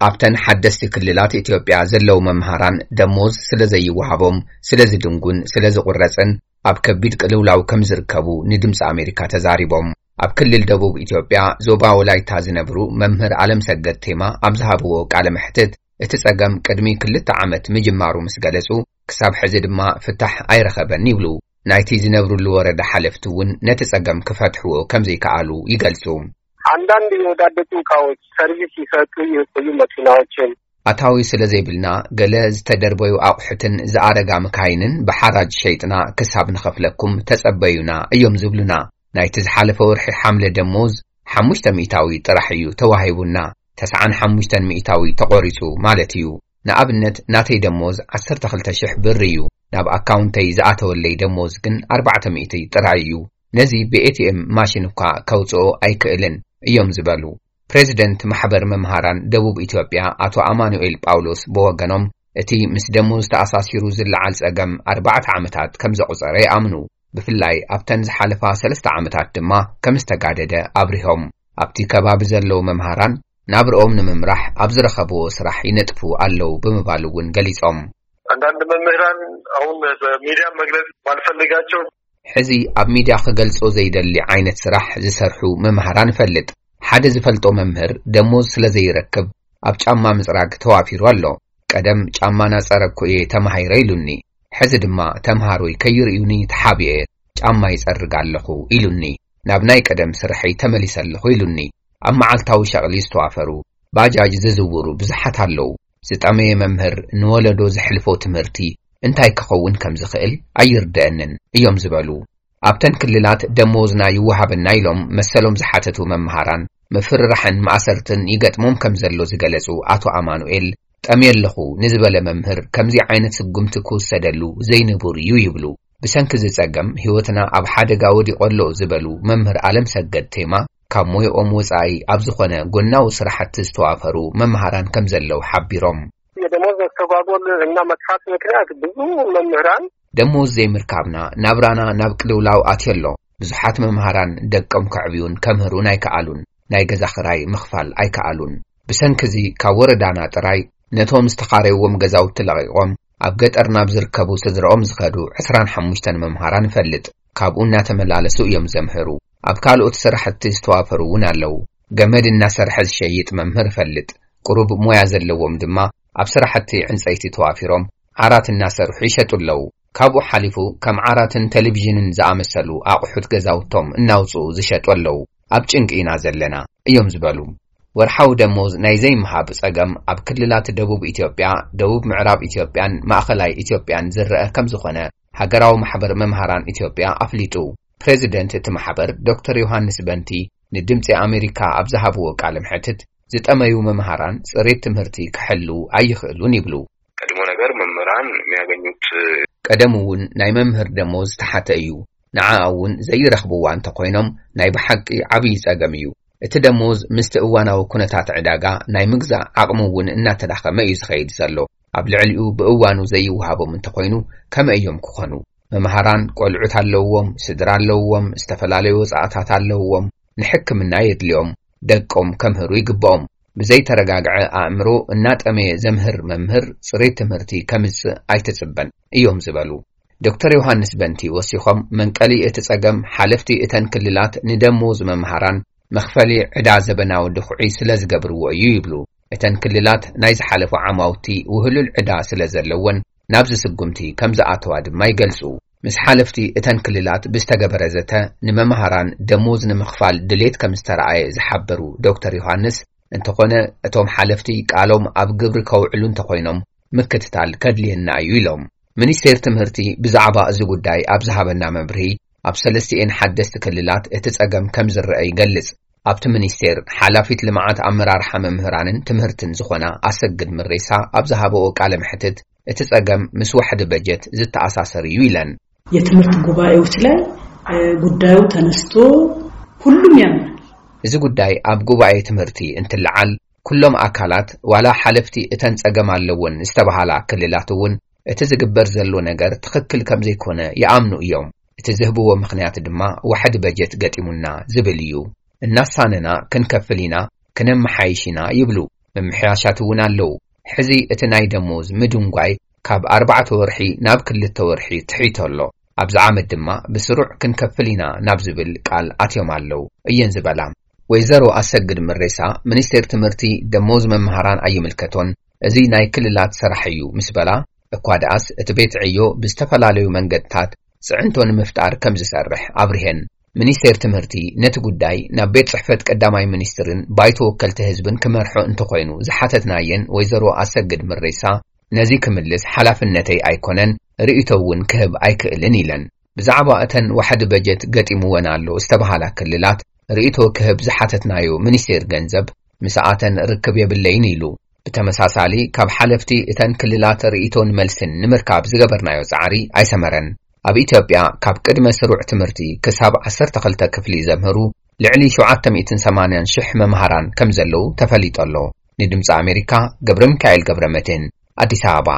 ኣብተን ሓደስቲ ክልላት ኢትዮጵያ ዘለዉ መምሃራን ደሞዝ ስለ ዘይወሃቦም፣ ስለ ዝድንጉን ስለ ዝቑረጽን ኣብ ከቢድ ቅልውላው ከም ዝርከቡ ንድምፂ ኣሜሪካ ተዛሪቦም። ኣብ ክልል ደቡብ ኢትዮጵያ ዞባ ወላይታ ዝነብሩ መምህር ኣለምሰገድ ቴማ ኣብ ዝሃብዎ ቃለ መሕትት፣ እቲ ጸገም ቅድሚ ክልተ ዓመት ምጅማሩ ምስ ገለጹ፣ ክሳብ ሕዚ ድማ ፍታሕ ኣይረኸበን ይብሉ። ናይቲ ዝነብሩሉ ወረዳ ሓለፍቲ እውን ነቲ ጸገም ክፈትሕዎ ከም ዘይከኣሉ ይገልጹ። አንዳንድ የወዳደቁ እቃዎች ሰርቪስ ይሰጡ የቆዩ መኪናዎችን። ኣታዊ ስለ ዘይብልና፣ ገለ ዝተደርበዩ ኣቑሑትን ዝኣረጋ መካይንን ብሓራጅ ሸይጥና ክሳብ ንኸፍለኩም ተጸበዩና እዮም ዝብሉና። ናይቲ ዝሓለፈ ወርሒ ሓምለ ደሞዝ ሓሙሽተ ሚእታዊ ጥራሕ እዩ ተዋሂቡና። ተስዓን ሓሙሽተን ሚእታዊ ተቖሪጹ ማለት እዩ። ንኣብነት፣ ናተይ ደሞዝ ዓሰርተ ክልተ ሽሕ ብር እዩ። ናብ ኣካውንተይ ዝኣተወለይ ደሞዝ ግን ኣርባዕተ ሚእቲ ጥራይ እዩ። ነዚ ብኤቲኤም ማሽን እኳ ከውጽኦ ኣይክእልን እዮም ዝበሉ። ፕሬዚደንት ማሕበር መምሃራን ደቡብ ኢትዮጵያ ኣቶ ኣማኑኤል ጳውሎስ ብወገኖም፣ እቲ ምስ ደሞዝ ተኣሳሲሩ ዝለዓል ጸገም ኣርባዕተ ዓመታት ከም ዘቑጸረ ይኣምኑ። ብፍላይ ኣብተን ዝሓለፋ ሰለስተ ዓመታት ድማ ከም ዝተጋደደ ኣብሪሆም። ኣብቲ ከባቢ ዘለዉ መምሃራን ናብርኦም ንምምራሕ ኣብ ዝረኸብዎ ስራሕ ይነጥፉ ኣለዉ ብምባል እውን ገሊጾም። አንዳንድ መምህራን አሁን በሚዲያ መግለጽ ባልፈልጋቸው ሕዚ ኣብ ሚድያ ክገልጾ ዘይደሊ ዓይነት ስራሕ ዝሰርሑ መምሃራን እፈልጥ። ሓደ ዝፈልጦ መምህር ደሞዝ ስለ ዘይረክብ ኣብ ጫማ ምጽራግ ተዋፊሩ ኣሎ። ቀደም ጫማ ናጸረግኩ እየ ተማሂረ ኢሉኒ። ሕዚ ድማ ተምሃሮይ ከይርእዩኒ ተሓቢኤ ጫማ ይጸርግ ኣለኹ ኢሉኒ። ናብ ናይ ቀደም ስርሐይ ተመሊሰ ኣለኹ ኢሉኒ። ኣብ መዓልታዊ ሸቕሊ ዝተዋፈሩ ባጃጅ ዝዝውሩ ብዙሓት ኣለዉ። ዝጠመየ መምህር ንወለዶ ዘሕልፎ ትምህርቲ እንታይ ክኸውን ከም ዝኽእል ኣይርደአንን እዮም ዝበሉ። ኣብተን ክልላት ደሞዝና ይወሃበና ኢሎም መሰሎም ዝሓተቱ መምሃራን ምፍርራሕን ማእሰርትን ይገጥሞም ከም ዘሎ ዝገለጹ ኣቶ ኣማኑኤል፣ ጠምየ ኣለኹ ንዝበለ መምህር ከምዚ ዓይነት ስጉምቲ ክውሰደሉ ዘይንቡር እዩ ይብሉ። ብሰንኪ እዚ ጸገም ህይወትና ኣብ ሓደጋ ወዲቑ ኣሎ ዝበሉ መምህር ኣለም ሰገድ ቴማ፣ ካብ ሞያኦም ወጻኢ ኣብ ዝኾነ ጎናዊ ስራሕቲ ዝተዋፈሩ መምሃራን ከም ዘለዉ ሓቢሮም። የደሞዝ መስተጓጎል እና መጥፋት ምክንያት ብዙ መምህራን ደሞዝ ዘይምርካብና ናብራና ናብ ቅልውላው ኣትዮ ኣሎ። ብዙሓት መምሃራን ደቆም ከዕብዩን ከምህሩን ኣይከኣሉን። ናይ ገዛ ኽራይ ምኽፋል ኣይከኣሉን። ብሰንኪ እዚ ካብ ወረዳና ጥራይ ነቶም ዝተኻረይዎም ገዛውቲ ለቒቖም ኣብ ገጠር ናብ ዝርከቡ ስድራኦም ዝኸዱ ዕስራን ሓሙሽተን መምሃራን እፈልጥ። ካብኡ እናተመላለሱ እዮም ዘምህሩ። ኣብ ካልኦት ስራሕቲ ዝተዋፈሩ እውን ኣለዉ። ገመድ እናሰርሐ ዝሸይጥ መምህር እፈልጥ። ቁሩብ ሞያ ዘለዎም ድማ ኣብ ስራሕቲ ዕንጸይቲ ተዋፊሮም ዓራት እናሰርሑ ይሸጡ ኣለዉ። ካብኡ ሓሊፉ ከም ዓራትን ቴሌቪዥንን ዝኣመሰሉ ኣቑሑት ገዛውቶም እናውጽኡ ዝሸጡ ኣለዉ። ኣብ ጭንቂ ኢና ዘለና እዮም ዝበሉ። ወርሓዊ ደሞዝ ናይ ዘይምሃብ ጸገም ኣብ ክልላት ደቡብ ኢትዮጵያ፣ ደቡብ ምዕራብ ኢትዮጵያን ማእኸላይ ኢትዮጵያን ዝረአ ከም ዝኾነ ሃገራዊ ማሕበር መምሃራን ኢትዮጵያ ኣፍሊጡ። ፕሬዚደንት እቲ ማሕበር ዶክተር ዮሃንስ በንቲ ንድምጺ ኣሜሪካ ኣብ ዝሃብዎ ቃለ መሕትት፣ ዝጠመዩ መምሃራን ጽሬት ትምህርቲ ክሕልዉ ኣይኽእሉን ይብሉ። ቀድሞ ነገር መምህራን የሚያገኙት ቀደም እውን ናይ መምህር ደሞዝ ዝተሓተ እዩ። ንዓኣ እውን ዘይረኽብዋ እንተኾይኖም ናይ ብሓቂ ዓብዪ ጸገም እዩ። እቲ ደሞዝ ምስቲ እዋናዊ ኩነታት ዕዳጋ ናይ ምግዛእ ዓቕሚ እውን እናተዳኸመ እዩ ዝኸይድ ዘሎ። ኣብ ልዕሊኡ ብእዋኑ ዘይወሃቦም እንተኾይኑ ከመይ እዮም ክኾኑ? መምሃራን ቆልዑት ኣለውዎም፣ ስድራ ኣለውዎም፣ ዝተፈላለዩ ወጻእታት ኣለውዎም፣ ንሕክምና የድልዮም፣ ደቆም ከምህሩ ይግብኦም። ብዘይተረጋግዐ ኣእምሮ እናጠመየ ዘምህር መምህር ጽሬት ትምህርቲ ከምጽእ ኣይትጽበን እዮም ዝበሉ። ዶክተር ዮሃንስ በንቲ ወሲኾም፣ መንቀሊ እቲ ጸገም ሓለፍቲ እተን ክልላት ንደሞዝ መምሃራን መኽፈሊ ዕዳ ዘበናዊ ድኹዒ ስለ ዝገብርዎ እዩ ይብሉ። እተን ክልላት ናይ ዝሓለፉ ዓማውቲ ውህሉል ዕዳ ስለ ዘለወን ናብዚ ስጉምቲ ከም ዝኣተዋ ድማ ይገልጹ። ምስ ሓለፍቲ እተን ክልላት ብዝተገበረ ዘተ፣ ንመምሃራን ደሞዝ ንምኽፋል ድሌት ከም ዝተረኣየ ዝሓበሩ ዶክተር ዮሃንስ፣ እንተኾነ እቶም ሓለፍቲ ቃሎም ኣብ ግብሪ ከውዕሉ እንተኾይኖም ምክትታል ከድልየና እዩ ኢሎም። ሚኒስቴር ትምህርቲ ብዛዕባ እዚ ጉዳይ ኣብ ዝሃበና መብርሂ፣ ኣብ ሰለስቲኤን ሓደስቲ ክልላት እቲ ጸገም ከም ዝረአ ይገልጽ። ኣብቲ ሚኒስቴር ሓላፊት ልምዓት ኣመራርሓ መምህራንን ትምህርትን ዝኾና ኣሰግድ ምሬሳ ኣብ ዝሃበኦ ቃለ መሕትት፣ እቲ ጸገም ምስ ዋሕዲ በጀት ዝተኣሳሰር እዩ ኢለን። የትምህርት ጉባኤዎች ላይ ጉዳዩ ተነስቶ ሁሉም ያምናል። እዚ ጉዳይ ኣብ ጉባኤ ትምህርቲ እንትለዓል፣ ኩሎም ኣካላት፣ ዋላ ሓለፍቲ እተን ጸገም ኣለወን ዝተባሃላ ክልላት እውን፣ እቲ ዝግበር ዘሎ ነገር ትኽክል ከም ዘይኮነ ይኣምኑ እዮም። እቲ ዝህብዎ ምኽንያት ድማ ዋሕዲ በጀት ገጢሙና ዝብል እዩ። እናሳነና ክንከፍል ኢና፣ ክነመሓይሽ ኢና ይብሉ። ምምሕያሻት እውን ኣለዉ። ሕዚ እቲ ናይ ደሞዝ ምድንጓይ ካብ ኣርባዕተ ወርሒ ናብ ክልተ ወርሒ ትሒቶ ኣሎ። ኣብዚ ዓመት ድማ ብስሩዕ ክንከፍል ኢና ናብ ዝብል ቃል ኣትዮም ኣለዉ እየን ዝበላ። ወይዘሮ ኣሰግድ ምሬሳ፣ ሚኒስቴር ትምህርቲ ደሞዝ መምሃራን ኣይምልከቶን፣ እዚ ናይ ክልላት ስራሕ እዩ ምስ በላ፣ እኳ ደኣስ እቲ ቤት ዕዮ ብዝተፈላለዩ መንገድታት ጽዕንቶ ንምፍጣር ከም ዝሰርሕ ኣብሪሀን። ሚኒስቴር ትምህርቲ ነቲ ጉዳይ ናብ ቤት ጽሕፈት ቀዳማይ ሚኒስትርን ባይቶ ወከልቲ ህዝብን ክመርሖ እንተኾይኑ ዝሓተትናየን ወይዘሮ ኣሰግድ ምሬሳ፣ ነዚ ክምልስ ሓላፍነተይ ኣይኮነን፣ ርእይቶ እውን ክህብ ኣይክእልን ኢለን። ብዛዕባ እተን ዋሕዲ በጀት ገጢምወን ኣሎ ዝተባሃላ ክልላት ርእይቶ ክህብ ዝሓተትናዮ ሚኒስቴር ገንዘብ፣ ምስኣተን ርክብ የብለይን ኢሉ። ብተመሳሳሊ፣ ካብ ሓለፍቲ እተን ክልላት ርእይቶን መልስን ንምርካብ ዝገበርናዮ ጻዕሪ ኣይሰመረን። ኣብ ኢትዮጵያ ካብ ቅድመ ስሩዕ ትምህርቲ ክሳብ ዓሰርተ ክልተ ክፍሊ ዘምህሩ ልዕሊ ሸውዓተ ሚእትን ሰማንያን ሽሕ መምሃራን ከም ዘለዉ ተፈሊጡ ኣሎ። ንድምፂ ኣሜሪካ፣ ገብረ ሚካኤል ገብረ መድህን፣ ኣዲስ ኣበባ።